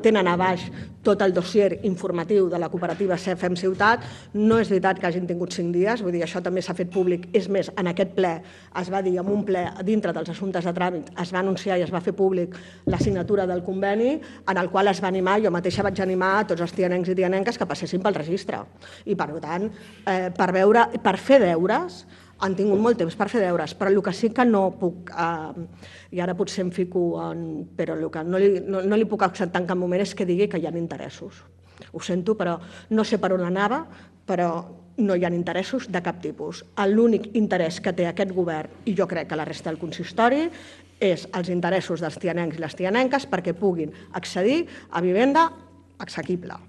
tenen a baix tot el dossier informatiu de la cooperativa CFM Ciutat. No és veritat que hagin tingut 5 dies, vull dir, això també s'ha fet públic. És més, en aquest ple es va dir, en un ple dintre dels assumptes de tràmit, es va anunciar i es va fer públic la signatura del conveni, en el qual es va animar, jo mateixa vaig animar a tots els tianencs i tianenques que passessin pel registre. I, per tant, per fer deures, han tingut molt temps per fer deures, però el que sí que no puc, i ara potser em fico, però el que no li puc acceptar en cap moment és que digui que hi ha interessos. Ho sento, però no sé per on anava, però no hi ha interessos de cap tipus. L'únic interès que té aquest govern, i jo crec que la resta del consistori, és els interessos dels tianencs i les tianenques perquè puguin accedir a vivenda assequible.